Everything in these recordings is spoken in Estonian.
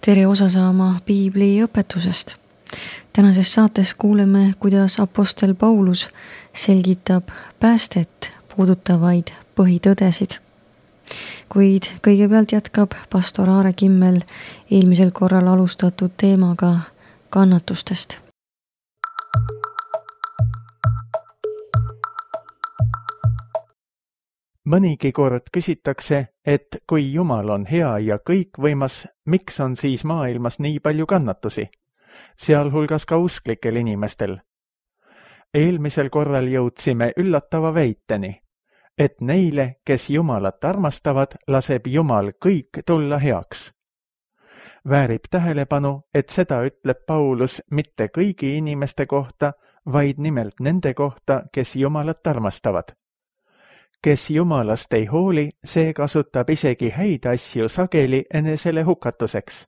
tere osa saama Piibli õpetusest. Tänases saates kuuleme, kuidas apostel Paulus selgitab päästet puudutavaid põhitõdesid. Kuid kõigepealt jätkab pastor Aare Kimmel eelmisel korral alustatud teemaga kannatustest. Mõnigi kord küsitakse, et kui Jumal on hea ja kõikvõimas, miks on siis maailmas nii palju kannatusi, sealhulgas ka usklikel inimestel? Eelmisel korral jõudsime üllatava väiteni, et neile, kes Jumalat armastavad, laseb Jumal kõik tulla heaks. Väärib tähelepanu, et seda ütleb Paulus mitte kõigi inimeste kohta, vaid nimelt nende kohta, kes Jumalat armastavad. Kes Jumalast ei hooli, see kasutab isegi häid asju sageli enesele hukatuseks.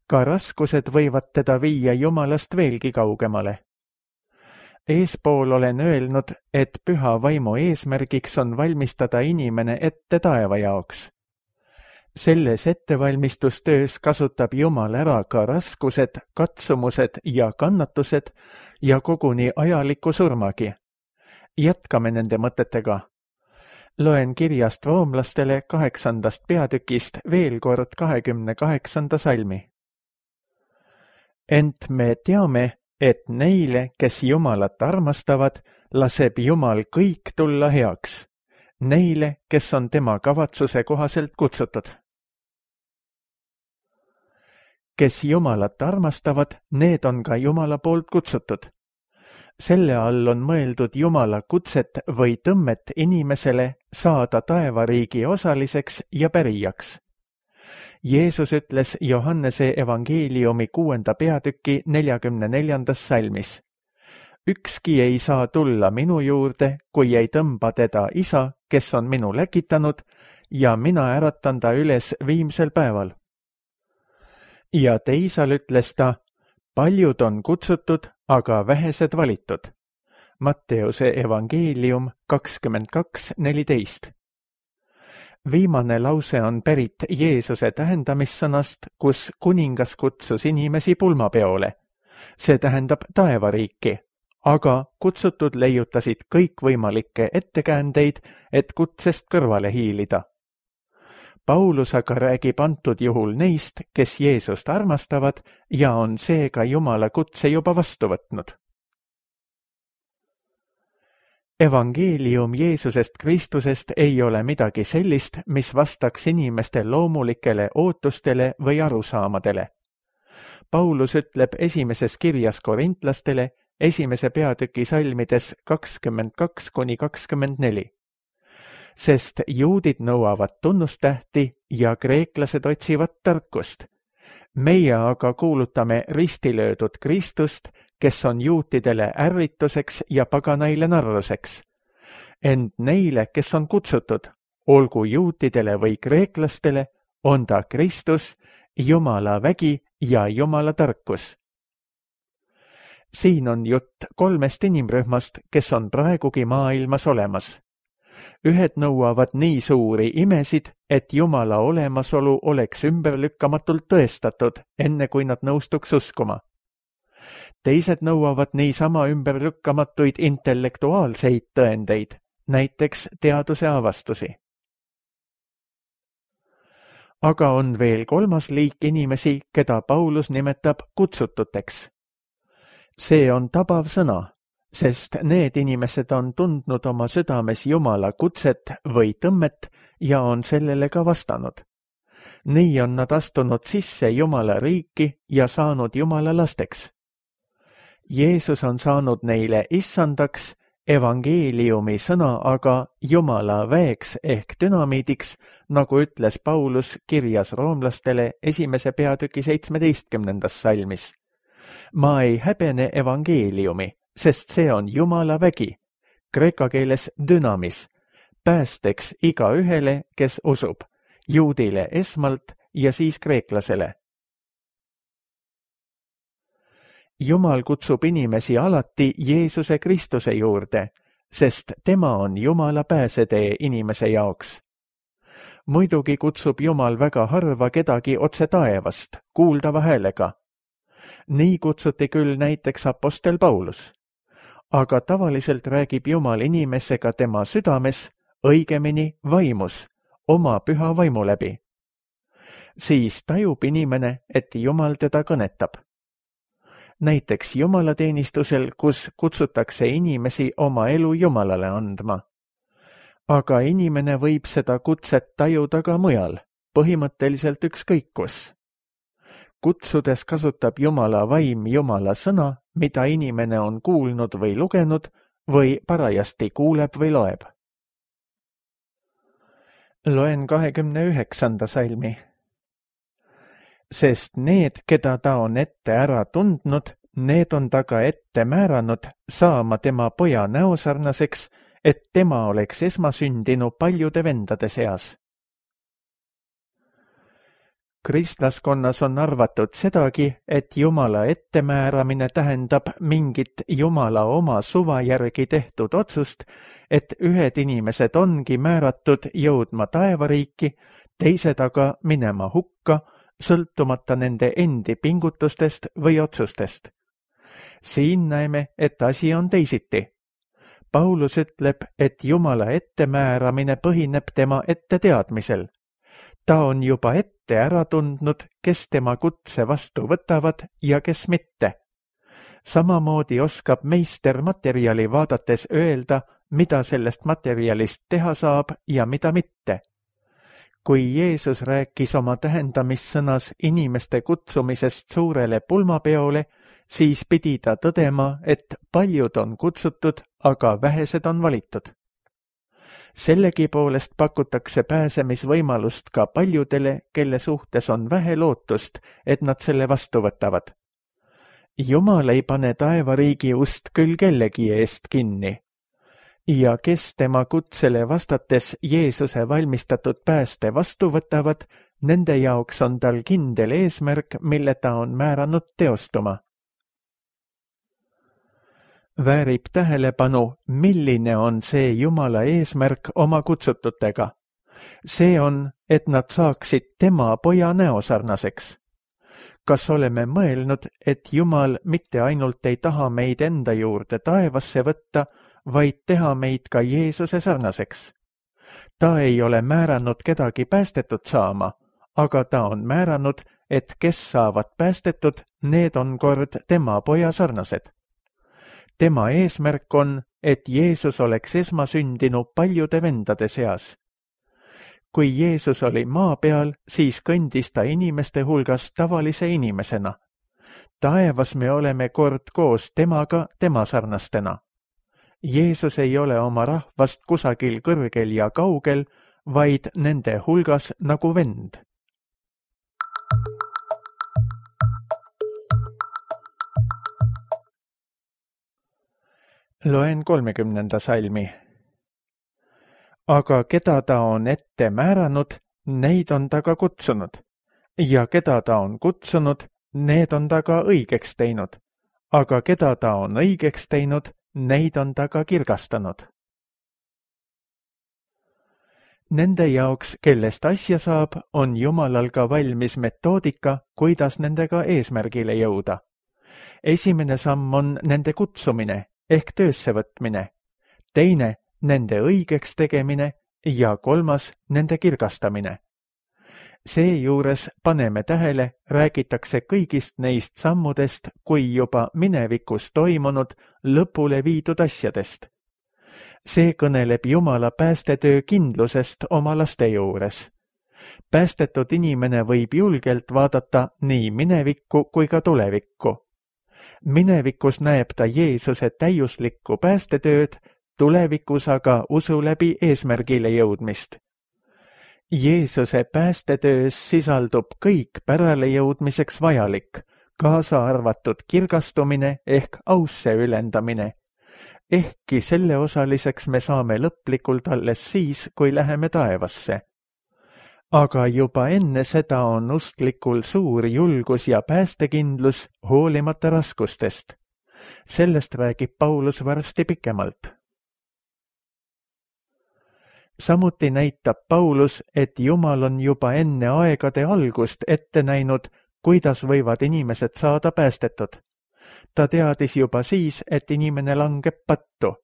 Ka raskused võivad teda viia Jumalast veelgi kaugemale. Eespool olen öelnud, et püha vaimu eesmärgiks on valmistada inimene ette taeva jaoks. Selles ettevalmistustöös kasutab Jumal ära ka raskused, katsumused ja kannatused ja koguni ajaliku surmagi. Jätkame nende mõtetega. Loen kirjast roomlastele 8. peatükist veel kord 28. salmi. Ent me teame, et neile, kes Jumalat armastavad, laseb Jumal kõik tulla heaks. Neile, kes on tema kavatsuse kohaselt kutsutud. Kes Jumalat armastavad, need on ka Jumala poolt kutsutud. Selle all on mõeldud Jumala kutset või tõmmet inimesele saada taevariigi osaliseks ja pärijaks. Jeesus ütles Johannese evangeeliumi 6. peatüki 44. salmis. Ükski ei saa tulla minu juurde, kui ei tõmba teda isa, kes on minu läkitanud, ja mina äratan ta üles viimsel päeval. Ja teisal ütles ta, paljud on kutsutud, aga vähesed valitud. Matteuse evangeelium 22:14. Viimane lause on pärit Jeesuse tähendamissõnast, kus kuningas kutsus inimesi pulmapeole. See tähendab taevariiki, aga kutsutud leiutasid kõikvõimalikke ettekäändeid, et kutsest kõrvale hiilida. Paulus aga räägib antud juhul neist, kes Jeesust armastavad ja on seega Jumala kutse juba vastu võtnud. Evangeelium Jeesusest Kristusest ei ole midagi sellist, mis vastaks inimeste loomulikele ootustele või arusaamadele. Paulus ütleb esimeses kirjas korintlastele 1. peatüki salmides 22-24. Sest juudid nõuavad tunnustähti ja kreeklased otsivad tarkust. Meie aga kuulutame ristilöödud Kristust, kes on juutidele ärrituseks ja paganaile narruseks. Ent neile, kes on kutsutud, olgu juutidele või kreeklastele, on ta Kristus, Jumala vägi ja Jumala tarkus. Siin on jutt 3 inimrühmast, kes on praegugi maailmas olemas. Ühed nõuavad nii suuri imesid, et Jumala olemasolu oleks ümberlükkamatult tõestatud, enne kui nad nõustuks uskuma. Teised nõuavad niisama ümberlükkamatuid intellektuaalseid tõendeid, näiteks teaduse avastusi. Aga on veel 3. liik inimesi, keda Paulus nimetab kutsututeks. See on tabav sõna, sest need inimesed on tundnud oma südames Jumala kutset või tõmmet ja on sellele ka vastanud. Nii on nad astunud sisse Jumala riiki ja saanud Jumala lasteks. Jeesus on saanud neile issandaks, evangeeliumi sõna aga Jumala väeks ehk dünamiidiks, nagu ütles Paulus kirjas roomlastele 1. peatüki 17. salmis. Ma ei häbene evangeeliumi, sest see on Jumala vägi, kreeka keeles dynamis, päästeks igaühele, kes usub, juudile esmalt ja siis kreeklasele. Jumal kutsub inimesi alati Jeesuse Kristuse juurde, sest tema on Jumala pääsetee inimese jaoks. Muidugi kutsub Jumal väga harva kedagi otse taevast, kuuldava häälega. Nii kutsuti küll näiteks apostel Paulus. Aga tavaliselt räägib Jumal inimesega tema südames, õigemini vaimus, oma püha vaimu läbi. Siis tajub inimene, et Jumal teda kõnetab. Näiteks jumalateenistusel, kus kutsutakse inimesi oma elu Jumalale andma. Aga inimene võib seda kutset tajuda ka mujal, põhimõtteliselt ükskõik kus. Kutsudes kasutab Jumala vaim Jumala sõna, mida inimene on kuulnud või lugenud või parajasti kuuleb või loeb. Loen 29. salmi. Sest need, keda ta on ette ära tundnud, need on ta ka ette määranud saama tema poja näosarnaseks, et tema oleks esmasündinu paljude vendade seas. Kristlaskonnas on arvatud sedagi, et Jumala ettemääramine tähendab mingit Jumala oma suva järgi tehtud otsust, et ühed inimesed ongi määratud jõudma taevariiki, teised aga minema hukka, sõltumata nende endi pingutustest või otsustest. Siin näeme, et asi on teisiti. Paulus ütleb, et Jumala ettemääramine põhineb tema etteteadmisel. Ta on juba ette ära tundnud, kes tema kutse vastu võtavad ja kes mitte. Samamoodi oskab meister materjali vaadates öelda, mida sellest materjalist teha saab ja mida mitte. Kui Jeesus rääkis oma tähendamissõnas inimeste kutsumisest suurele pulmapeole, siis pidi ta tõdema, et paljud on kutsutud, aga vähesed on valitud. Sellegipoolest pakutakse pääsemisvõimalust ka paljudele, kelle suhtes on vähe lootust, et nad selle vastu võtavad. Jumal ei pane taevariigi ust küll kellegi eest kinni. Ja kes tema kutsele vastates Jeesuse valmistatud pääste vastu võtavad, nende jaoks on tal kindel eesmärk, mille ta on määranud teostuma. Väärib tähelepanu, milline on see Jumala eesmärk oma kutsututega. See on, et nad saaksid tema poja näosarnaseks. Kas oleme mõelnud, et Jumal mitte ainult ei taha meid enda juurde taevasse võtta, vaid teha meid ka Jeesuse sarnaseks? Ta ei ole määranud kedagi päästetud saama, aga ta on määranud, et kes saavad päästetud, need on kord tema poja sarnased. Tema eesmärk on, et Jeesus oleks esmasündinu paljude vendade seas. Kui Jeesus oli maa peal, siis kõndis ta inimeste hulgas tavalise inimesena. Taevas me oleme kord koos temaga tema sarnastena. Jeesus ei ole oma rahvast kusagil kõrgel ja kaugel, vaid nende hulgas nagu vend. Loen 30. salmi. Aga keda ta on ette määranud, neid on ta ka kutsunud. Ja keda ta on kutsunud, need on ta ka õigeks teinud. Aga keda ta on õigeks teinud, neid on ta ka kirgastanud. Nende jaoks, kellest asja saab, on Jumalal ka valmis metoodika, kuidas nendega eesmärgile jõuda. Esimene samm on nende kutsumine ehk töösse võtmine, teine nende õigeks tegemine ja kolmas nende kirgastamine. Seejuures paneme tähele, räägitakse kõigist neist sammudest kui juba minevikus toimunud lõpule viidud asjadest. See kõneleb Jumala päästetöö kindlusest oma laste juures. Päästetud inimene võib julgelt vaadata nii minevikku kui ka tulevikku. Minevikus näeb ta Jeesuse täiuslikku päästetööd, tulevikus aga usu läbi eesmärgile jõudmist. Jeesuse päästetöös sisaldub kõik pärale jõudmiseks vajalik, kaasa arvatud kirgastumine ehk ausse ülendamine. Ehkki selle osaliseks me saame lõplikult alles siis, kui läheme taevasse. Aga juba enne seda on usklikul suur julgus ja päästekindlus hoolimata raskustest. Sellest räägib Paulus varsti pikemalt. Samuti näitab Paulus, et Jumal on juba enne aegade algust ette näinud, kuidas võivad inimesed saada päästetud. Ta teadis juba siis, et inimene langeb pattu.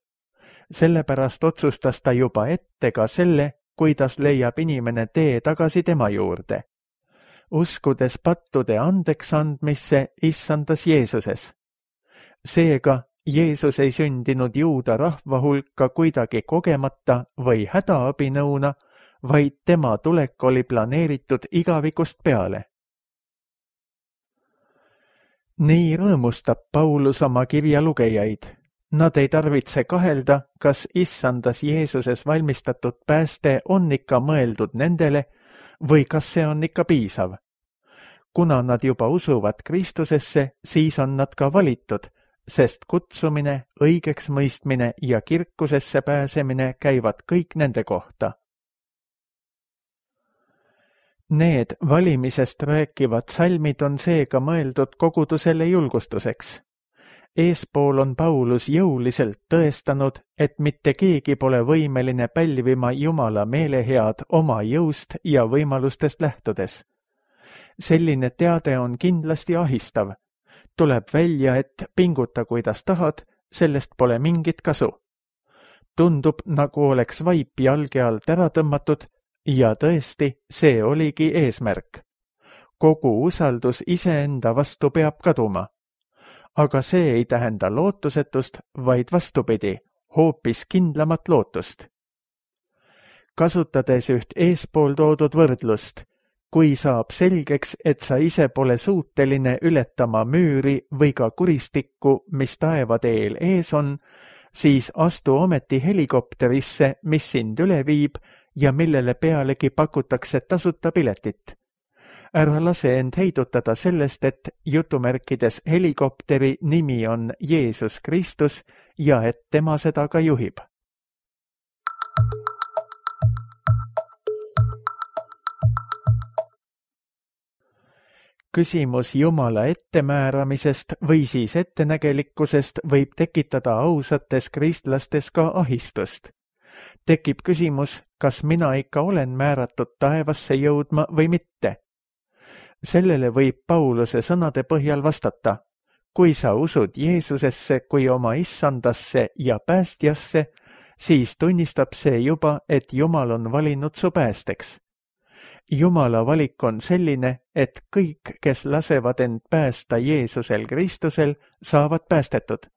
Sellepärast otsustas ta juba ette ka selle, kuidas leiab inimene tee tagasi tema juurde. Uskudes pattude andeks andmisse issandas Jeesuses. Seega, Jeesus ei sündinud juuda rahva hulka kuidagi kogemata või hädaabinõuna, vaid tema tulek oli planeeritud igavikust peale. Nii rõõmustab Paulus oma kirja lugejaid. Nad ei tarvitse kahelda, kas issandas Jeesuses valmistatud pääste on ikka mõeldud nendele või kas see on ikka piisav. Kuna nad juba usuvad Kristusesse, siis on nad ka valitud, sest kutsumine, õigeks mõistmine ja kirkusesse pääsemine käivad kõik nende kohta. Need valimisest rääkivad salmid on seega mõeldud kogudusele julgustuseks. Eespool on Paulus jõuliselt tõestanud, et mitte keegi pole võimeline pälvima Jumala meelehead oma jõust ja võimalustest lähtudes. Selline teade on kindlasti ahistav. Tuleb välja, et pinguta kuidas tahad, sellest pole mingit kasu. Tundub, nagu oleks vaip jalge alt ära tõmmatud ja tõesti, see oligi eesmärk. Kogu usaldus iseenda vastu peab kaduma. Aga see ei tähenda lootusetust, vaid vastupidi, hoopis kindlamat lootust. Kasutades üht eespool toodud võrdlust, kui saab selgeks, et sa ise pole suuteline ületama müüri või ka kuristikku, mis taevateel ees on, siis astu ometi helikopterisse, mis sind üle viib ja millele pealegi pakutakse tasuta piletit. Ära lase end heidutada sellest, et jutumärkides helikopteri nimi on Jeesus Kristus ja et tema seda ka juhib. Küsimus Jumala ettemääramisest või siis ettenägelikkusest võib tekitada ausates kristlastes ka ahistust. Tekib küsimus, kas mina ikka olen määratud taevasse jõudma või mitte. Sellele võib Pauluse sõnade põhjal vastata. Kui sa usud Jeesusesse kui oma issandasse ja päästjasse, siis tunnistab see juba, et Jumal on valinud su päästeks. Jumala valik on selline, et kõik, kes lasevad end päästa Jeesusel Kristusel, saavad päästetud.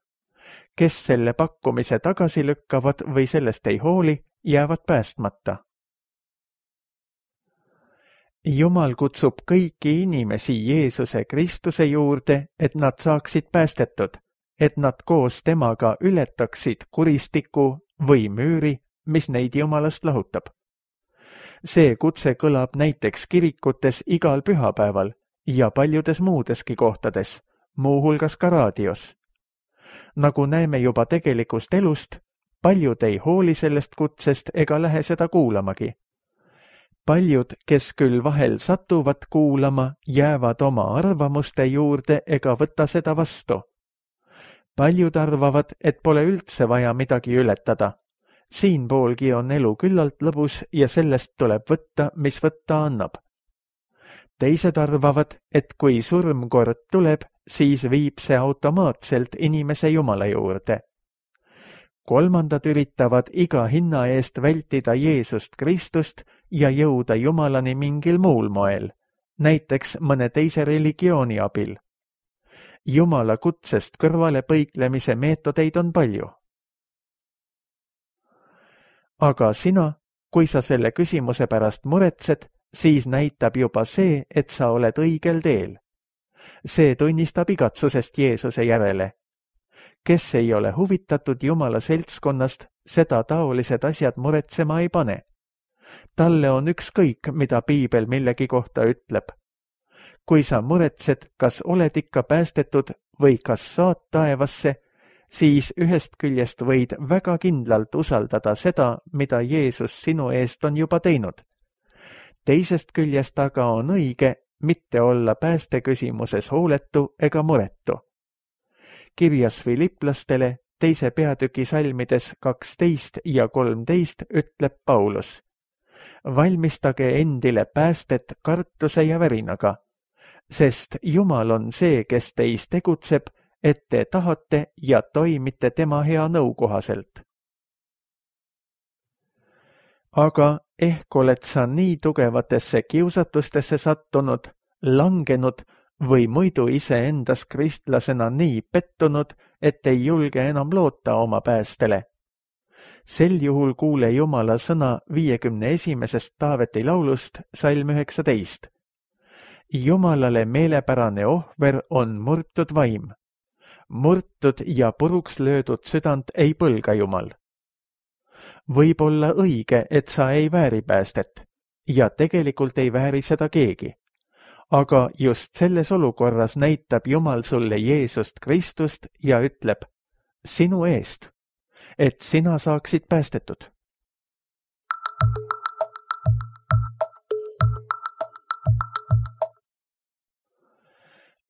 Kes selle pakkumise tagasi lükkavad või sellest ei hooli, jäävad päästmata. Jumal kutsub kõiki inimesi Jeesuse Kristuse juurde, et nad saaksid päästetud, et nad koos temaga ületaksid kuristiku või müüri, mis neid Jumalast lahutab. See kutse kõlab näiteks kirikutes igal pühapäeval ja paljudes muudeski kohtades, muuhulgas ka raadios. Nagu näeme juba tegelikust elust, paljud ei hooli sellest kutsest ega lähe seda kuulamagi. Paljud, kes küll vahel satuvad kuulama, jäävad oma arvamuste juurde ega võta seda vastu. Paljud arvavad, et pole üldse vaja midagi ületada. Siinpoolgi on elu küllalt lõbus ja sellest tuleb võtta, mis võtta annab. Teised arvavad, et kui surm kord tuleb, siis viib see automaatselt inimese Jumala juurde. Kolmandad üritavad iga hinna eest vältida Jeesust Kristust ja jõuda Jumalani mingil muul moel, näiteks mõne teise religiooni abil. Jumala kutsest kõrvale põiklemise meetodeid on palju. Aga sina, kui sa selle küsimuse pärast muretsed, siis näitab juba see, et sa oled õigel teel. See tunnistab igatsusest Jeesuse järele. Kes ei ole huvitatud Jumala seltskonnast, seda taolised asjad muretsema ei pane. Talle on ükskõik, mida Piibel millegi kohta ütleb. Kui sa muretsed, kas oled ikka päästetud või kas saad taevasse, siis ühest küljest võid väga kindlalt usaldada seda, mida Jeesus sinu eest on juba teinud. Teisest küljest aga on õige mitte olla päästeküsimuses hooletu ega muretu. Kirjas Filiplastele 2. peatüki salmides 12 ja 13 ütleb Paulus: valmistage endile päästet kartuse ja värinaga, sest Jumal on see, kes teis tegutseb, et te tahate ja toimite tema hea nõu kohaselt. Aga ehk oled sa nii tugevatesse kiusatustesse sattunud, langenud või muidu iseendas kristlasena nii pettunud, et ei julge enam loota oma päästele. Sel juhul kuule Jumala sõna 51. Taaveti laulust, salm 19. Jumalale meelepärane ohver on murtud vaim. Murtud ja puruks löödud südant ei põlga Jumal. Võib olla õige, et sa ei vääri päästet ja tegelikult ei vääri seda keegi. Aga just selles olukorras näitab Jumal sulle Jeesust Kristust ja ütleb: sinu eest, et sina saaksid päästetud.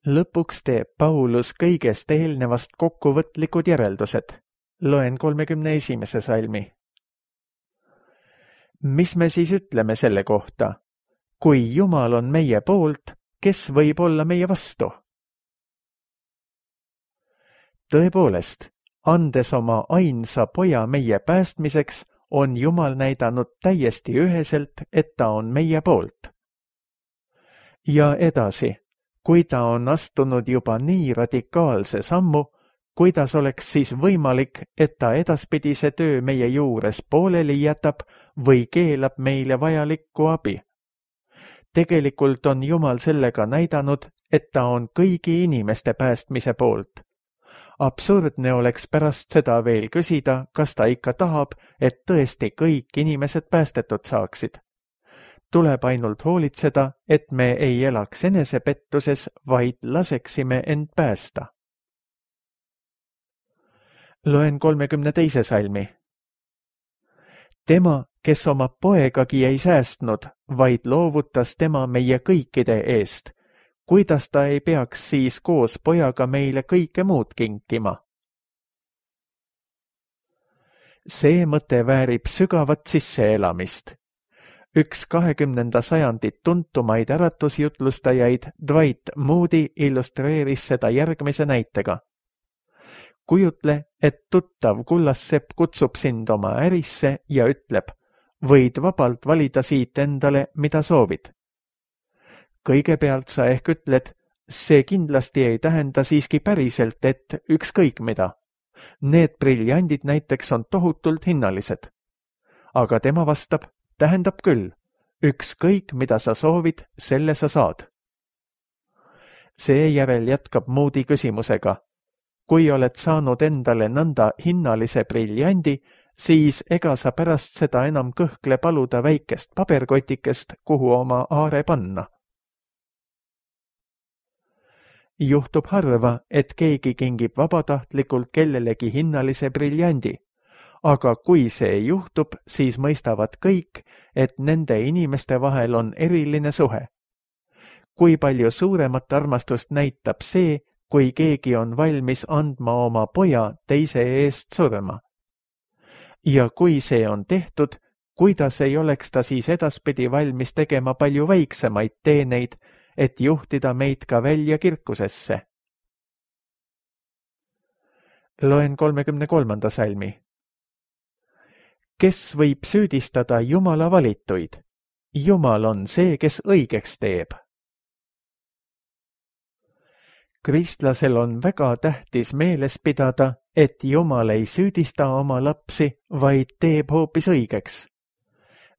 Lõpuks teeb Paulus kõigest eelnevast kokkuvõtlikud järeldused. Loen 31. salmi. Mis me siis ütleme selle kohta? Kui Jumal on meie poolt, kes võib olla meie vastu? Tõepoolest, andes oma ainsa poja meie päästmiseks, on Jumal näidanud täiesti üheselt, et ta on meie poolt. Ja edasi, kui ta on astunud juba nii radikaalse sammu, kuidas oleks siis võimalik, et ta edaspidise töö meie juures pooleli jätab või keelab meile vajalikku abi? Tegelikult on Jumal sellega näidanud, et ta on kõigi inimeste päästmise poolt. Absurdne oleks pärast seda veel küsida, kas ta ikka tahab, et tõesti kõik inimesed päästetud saaksid. Tuleb ainult hoolitseda, et me ei elaks enesepettuses, vaid laseksime end päästa. Loen 32. salmi. Tema, kes oma poegagi ei säästnud, vaid loovutas tema meie kõikide eest, kuidas ta ei peaks siis koos pojaga meile kõike muud kinkima? See mõte väärib sügavat sisseelamist. Üks 20. sajandi tuntumaid äratusjutlustajaid Dwight Moody illustreeris seda järgmise näitega. Kujutle, et tuttav kullassepp kutsub sind oma ärisse ja ütleb: võid vabalt valida siit endale, mida soovid. Kõigepealt sa ehk ütled: see kindlasti ei tähenda siiski päriselt, et ükskõik mida. Need briljandid näiteks on tohutult hinnalised. Aga tema vastab: tähendab küll, ükskõik mida sa soovid, selle sa saad. Seejärel jätkab Moody küsimusega: kui oled saanud endale nõnda hinnalise briljandi, siis ega sa pärast seda enam kõhkle paluda väikest paberkotikest, kuhu oma aare panna. Juhtub harva, et keegi kingib vabatahtlikult kellelegi hinnalise briljandi, aga kui see juhtub, siis mõistavad kõik, et nende inimeste vahel on eriline suhe. Kui palju suuremat armastust näitab see, kui keegi on valmis andma oma poja teise eest surma. Ja kui see on tehtud, kuidas ei oleks ta siis edaspidi valmis tegema palju väiksemaid teeneid, et juhtida meid ka välja kirkusesse? Loen 33. salmi. Kes võib süüdistada Jumala valituid? Jumal on see, kes õigeks teeb. Kristlasel on väga tähtis meeles pidada, et Jumal ei süüdista oma lapsi, vaid teeb hoopis õigeks.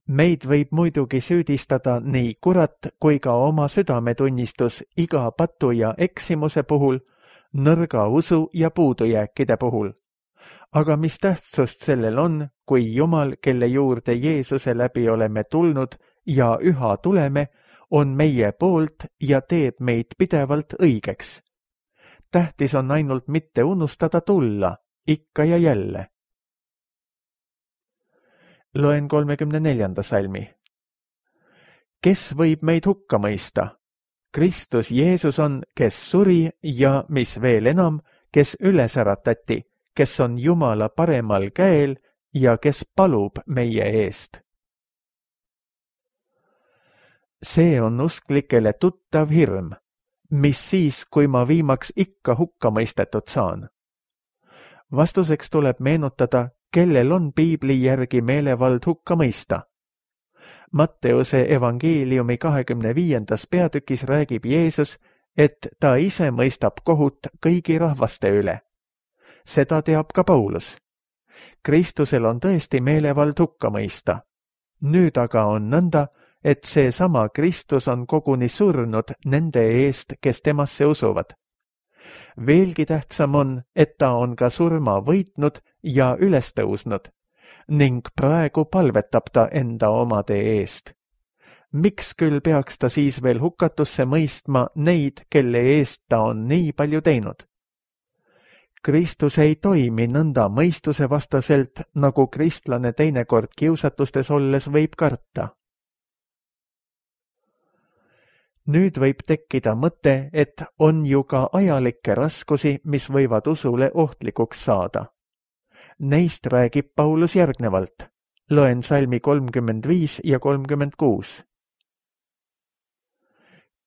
Meid võib muidugi süüdistada nii kurat kui ka oma südametunnistus iga patu ja eksimuse puhul, nõrga usu ja puudujääkide puhul. Aga mis tähtsust sellel on, kui Jumal, kelle juurde Jeesuse läbi oleme tulnud ja üha tuleme, on meie poolt ja teeb meid pidevalt õigeks. Tähtis on ainult mitte unustada tulla, ikka ja jälle. Loen 34. salmi. Kes võib meid hukka mõista? Kristus Jeesus on, kes suri ja, mis veel enam, kes üles äratati, kes on Jumala paremal käel ja kes palub meie eest. See on usklikele tuttav hirm, mis siis, kui ma viimaks ikka hukka mõistetud saan. Vastuseks tuleb meenutada, kellel on piibli järgi meelevald hukka mõista. Matteuse evangeeliumi 25. peatükis räägib Jeesus, et ta ise mõistab kohut kõigi rahvaste üle. Seda teab ka Paulus. Kristusel on tõesti meelevald hukka mõista. Nüüd aga on nõnda, et see sama Kristus on koguni surnud nende eest, kes temasse usuvad. Veelgi tähtsam on, et ta on ka surma võitnud ja üles tõusnud ning praegu palvetab ta enda omade eest. Miks küll peaks ta siis veel hukatusse mõistma neid, kelle eest ta on nii palju teinud? Kristus ei toimi nõnda mõistuse vastaselt, nagu kristlane teinekord kiusatustes olles võib karta. Nüüd võib tekkida mõte, et on ju ka ajalikke raskusi, mis võivad usule ohtlikuks saada. Neist räägib Paulus järgnevalt. Loen salmi 35 ja 36.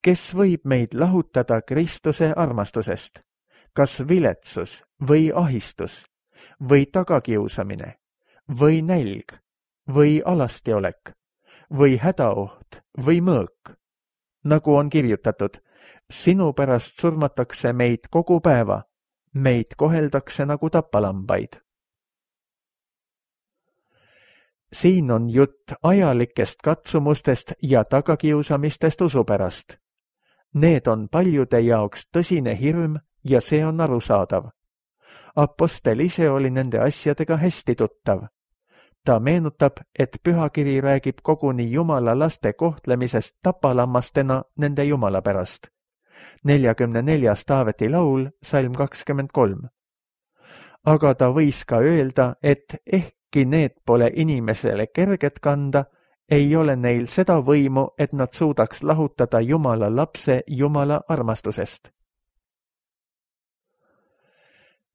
Kes võib meid lahutada Kristuse armastusest? Kas viletsus või ahistus või tagakiusamine või nälg või alastiolek või hädaoht või mõõk? Nagu on kirjutatud, sinu pärast surmatakse meid kogu päeva, meid koheldakse nagu tapalambaid. Siin on jutt ajalikest katsumustest ja tagakiusamistest usu pärast. Need on paljude jaoks tõsine hirm ja see on arusaadav. Apostel ise oli nende asjadega hästi tuttav. Ta meenutab, et pühakiri räägib koguni Jumala laste kohtlemisest tapalammastena nende Jumala pärast. 44. Taaveti laul, salm 23. Aga ta võis ka öelda, et ehkki need pole inimesele kerget kanda, ei ole neil seda võimu, et nad suudaks lahutada Jumala lapse Jumala armastusest.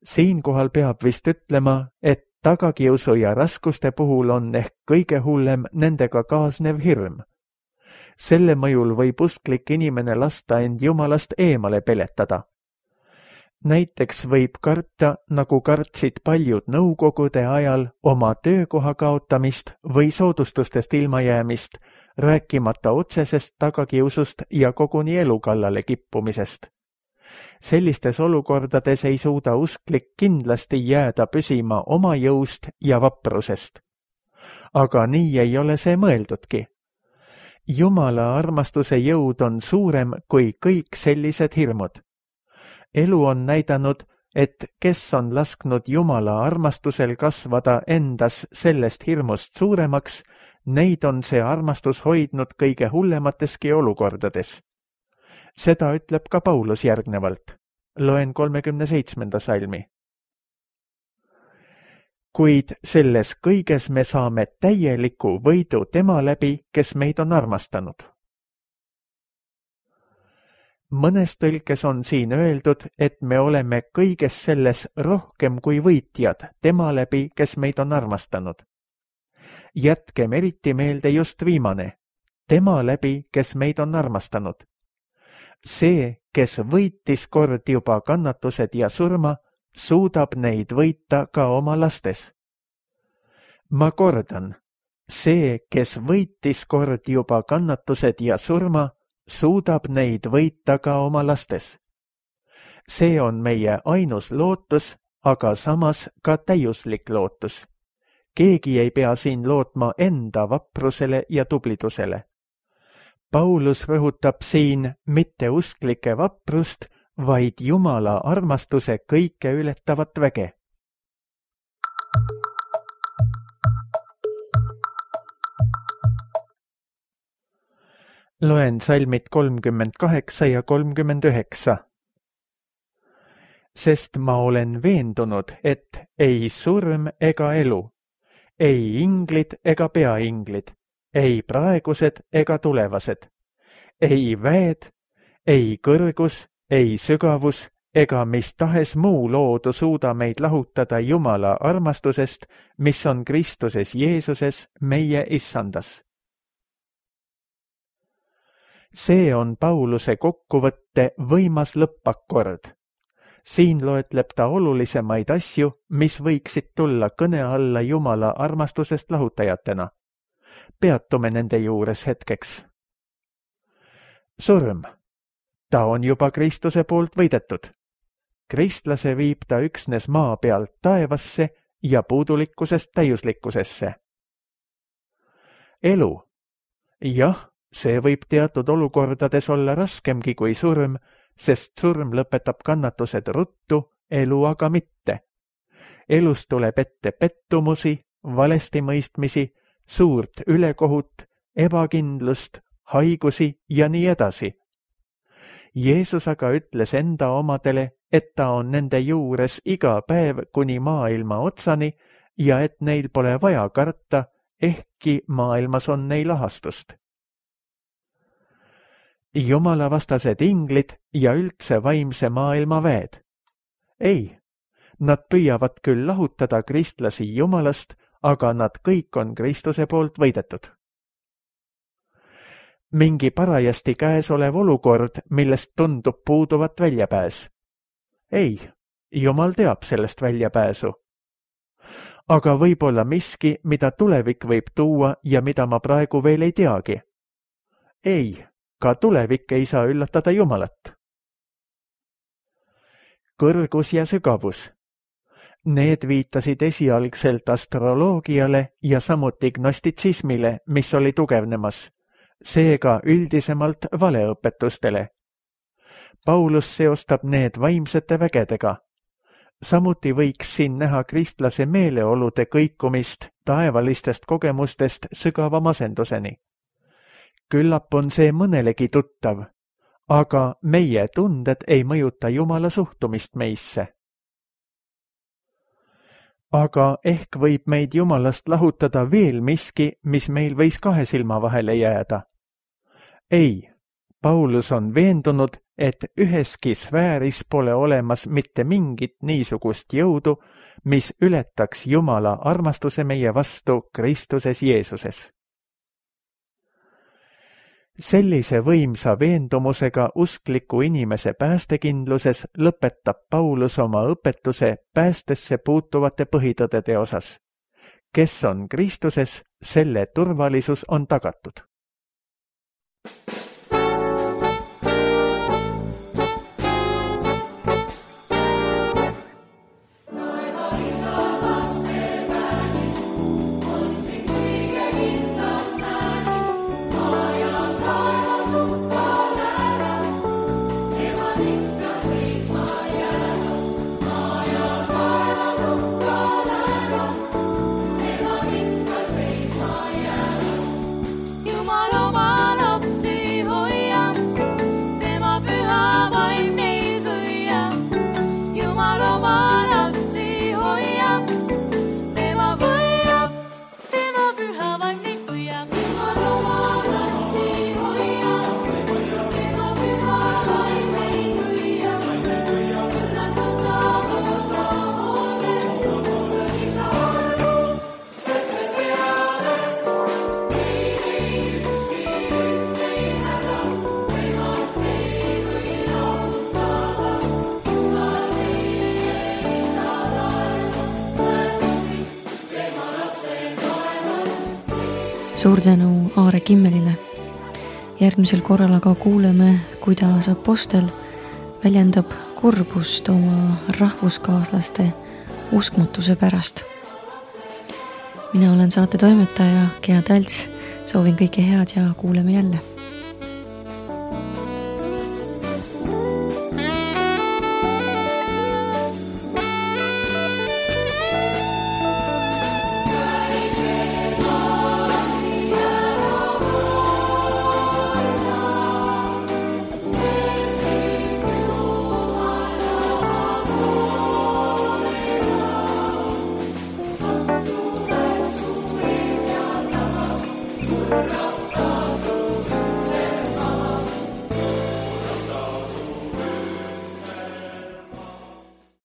Siinkohal peab vist ütlema, et tagakiusu ja raskuste puhul on ehk kõige hullem nendega kaasnev hirm. Selle mõjul võib usklik inimene lasta end Jumalast eemale peletada. Näiteks võib karta, nagu kartsid paljud nõukogude ajal, oma töökoha kaotamist või soodustustest ilmajäämist, rääkimata otsesest tagakiusust ja koguni elu kallale kippumisest. Sellistes olukordades ei suuda usklik kindlasti jääda püsima oma jõust ja vaprusest. Aga nii ei ole see mõeldudki. Jumala armastuse jõud on suurem kui kõik sellised hirmud. Elu on näidanud, et kes on lasknud Jumala armastusel kasvada endas sellest hirmust suuremaks, neid on see armastus hoidnud kõige hullemateski olukordades. Seda ütleb ka Paulus järgnevalt. Loen 37. salmi. Kuid selles kõiges me saame täieliku võidu tema läbi, kes meid on armastanud. Mõnes tõlkes on siin öeldud, et me oleme kõiges selles rohkem kui võitjad tema läbi, kes meid on armastanud. Jätkem eriti meelde just viimane, tema läbi, kes meid on armastanud. See, kes võitis kord juba kannatused ja surma, suudab neid võita ka oma lastes. Ma kordan, see, kes võitis kord juba kannatused ja surma, suudab neid võita ka oma lastes. See on meie ainus lootus, aga samas ka täiuslik lootus. Keegi ei pea siin lootma enda vaprusele ja tublidusele. Paulus rõhutab siin mitte usklike vaprust, vaid Jumala armastuse kõike ületavat väge. Loen salmid 38 ja 39. Sest ma olen veendunud, et ei surm ega elu, ei inglid ega peainglid, ei praegused ega tulevased, ei väed, ei kõrgus, ei sügavus, ega mis tahes muu loodu suuda meid lahutada Jumala armastusest, mis on Kristuses Jeesuses, meie issandas. See on Pauluse kokkuvõtte võimas lõppakord. Siin loetleb ta olulisemaid asju, mis võiksid tulla kõne alla Jumala armastusest lahutajatena. Peatume nende juures hetkeks. Surm. Ta on juba Kristuse poolt võidetud. Kristlase viib ta üksnes maa pealt taevasse ja puudulikkusest täiuslikkusesse. Elu. Jah, see võib teatud olukordades olla raskemgi kui surm, sest surm lõpetab kannatused ruttu, elu aga mitte. Elus tuleb ette pettumusi, valestimõistmisi, suurt ülekohut, ebakindlust, haigusi ja nii edasi. Jeesus aga ütles enda omadele, et ta on nende juures iga päev kuni maailma otsani ja et neil pole vaja karta, ehkki maailmas on neil ahastust. Jumalavastased inglid ja üldse vaimse maailma väed. Ei, nad püüavad küll lahutada kristlasi Jumalast, aga nad kõik on Kristuse poolt võidetud. Mingi parajasti käes olev olukord, millest tundub puuduvat väljapääs. Ei, Jumal teab sellest väljapääsu. Aga võib-olla miski, mida tulevik võib tuua ja mida ma praegu veel ei teagi. Ei, ka tulevik ei saa üllatada Jumalat. Kõrgus ja sügavus. Need viitasid esialgselt astroloogiale ja samuti gnostitsismile, mis oli tugevnemas, seega üldisemalt valeõpetustele. Paulus seostab need vaimsete vägedega. Samuti võiks siin näha kristlase meeleolude kõikumist taevalistest kogemustest sügava masenduseni. Küllap on see mõnelegi tuttav, aga meie tunded ei mõjuta Jumala suhtumist meisse. Aga ehk võib meid Jumalast lahutada veel miski, mis meil võis kahe silma vahele jääda. Ei, Paulus on veendunud, et üheski sfääris pole olemas mitte mingit niisugust jõudu, mis ületaks Jumala armastuse meie vastu Kristuses Jeesuses. Sellise võimsa veendumusega uskliku inimese päästekindluses lõpetab Paulus oma õpetuse päästesse puutuvate põhitõdede osas. Kes on Kristuses, selle turvalisus on tagatud. Suur tänu Aare Kimmelile. Järgmisel korral aga kuuleme, kuidas apostel väljendab kurbust oma rahvuskaaslaste uskmatuse pärast. Mina olen saate toimetaja Gea Tälts, soovin kõike head ja kuuleme jälle.